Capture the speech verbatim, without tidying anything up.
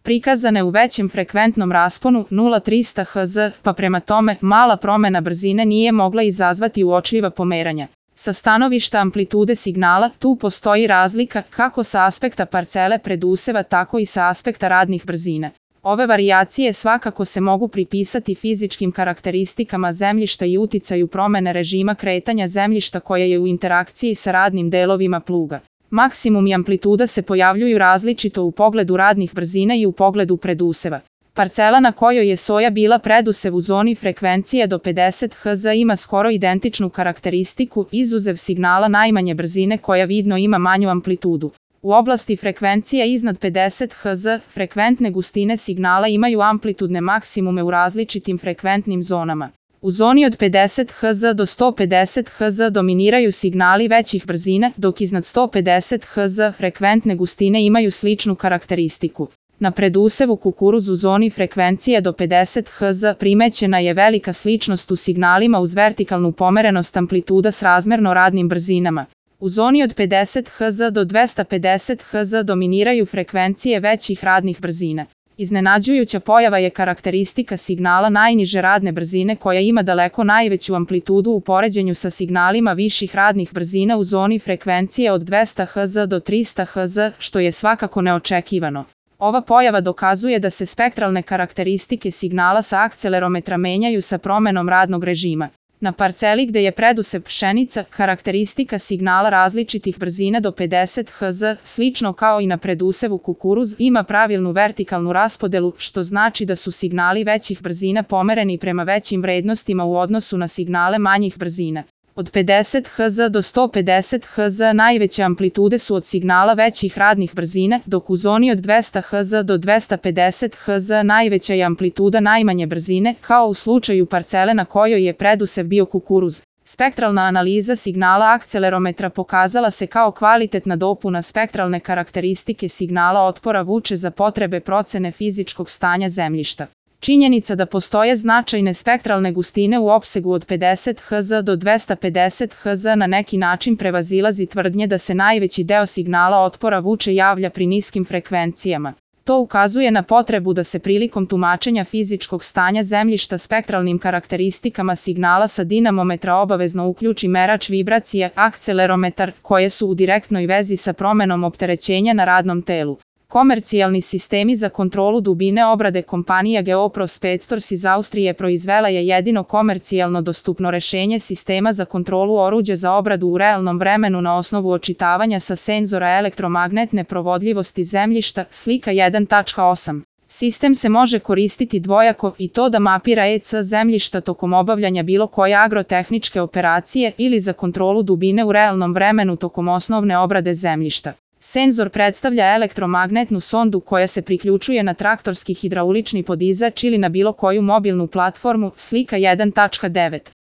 prikazane u većem frekventnom rasponu nula zarez trista hertza, pa prema tome mala promena brzine nije mogla izazvati uočljiva pomeranja. Sa stanovišta amplitude signala, tu postoji razlika kako sa aspekta parcele preduseva, tako i sa aspekta radnih brzina. Ove varijacije svakako se mogu pripisati fizičkim karakteristikama zemljišta i uticaju promene režima kretanja zemljišta koja je u interakciji sa radnim delovima pluga. Maksimum i amplituda se pojavljuju različito u pogledu radnih brzina i u pogledu preduseva. Parcela na kojoj je soja bila predusev u zoni frekvencije do pedeset hertza ima skoro identičnu karakteristiku, izuzev signala najmanje brzine koja vidno ima manju amplitudu. U oblasti frekvencija iznad pedeset hertza, frekventne gustine signala imaju amplitudne maksimume u različitim frekventnim zonama. U zoni od pedeset hertza do sto pedeset hertza dominiraju signali većih brzina, dok iznad sto pedeset hertza frekventne gustine imaju sličnu karakteristiku. Na predusevu kukuruz u zoni frekvencije do pedeset hertza primećena je velika sličnost u signalima uz vertikalnu pomerenost amplituda srazmerno radnim brzinama. U zoni od pedeset hertza do dvesta pedeset hertza dominiraju frekvencije većih radnih brzina. Iznenađujuća pojava je karakteristika signala najniže radne brzine koja ima daleko najveću amplitudu u poređenju sa signalima viših radnih brzina u zoni frekvencije od dvesta hertza do trista hertza, što je svakako neočekivano. Ova pojava dokazuje da se spektralne karakteristike signala sa akcelerometra menjaju sa promenom radnog režima. Na parceli gde je predusev pšenica, karakteristika signala različitih brzina do pedeset hertza, slično kao i na predusevu kukuruz, ima pravilnu vertikalnu raspodelu, što znači da su signali većih brzina pomereni prema većim vrednostima u odnosu na signale manjih brzina. Od pedeset hertza do sto pedeset hertza najveće amplitude su od signala većih radnih brzina, dok u zoni od dvesta hertza do dvesta pedeset hertza najveća je amplituda najmanje brzine, kao u slučaju parcele na kojoj je predusev bio kukuruz. Spektralna analiza signala akcelerometra pokazala se kao kvalitetna dopuna spektralne karakteristike signala otpora vuče za potrebe procene fizičkog stanja zemljišta. Činjenica da postoje značajne spektralne gustine u opsegu od pedeset hertza do dvesta pedeset hertza na neki način prevazilazi tvrdnje da se najveći deo signala otpora vuče javlja pri niskim frekvencijama. To ukazuje na potrebu da se prilikom tumačenja fizičkog stanja zemljišta spektralnim karakteristikama signala sa dinamometra obavezno uključi merač vibracije, akcelerometar, koje su u direktnoj vezi sa promenom opterećenja na radnom telu. Komercijalni sistemi za kontrolu dubine obrade kompanija Geopros petsto iz Austrije proizvela je jedino komercijalno dostupno rešenje sistema za kontrolu oruđa za obradu u realnom vremenu na osnovu očitavanja sa senzora elektromagnetne provodljivosti zemljišta, slika jedan tačka osam. Sistem se može koristiti dvojako i to da mapira E C zemljišta tokom obavljanja bilo koje agrotehničke operacije ili za kontrolu dubine u realnom vremenu tokom osnovne obrade zemljišta. Senzor predstavlja elektromagnetnu sondu koja se priključuje na traktorski hidraulični podizač ili na bilo koju mobilnu platformu, slika jedan tačka devet.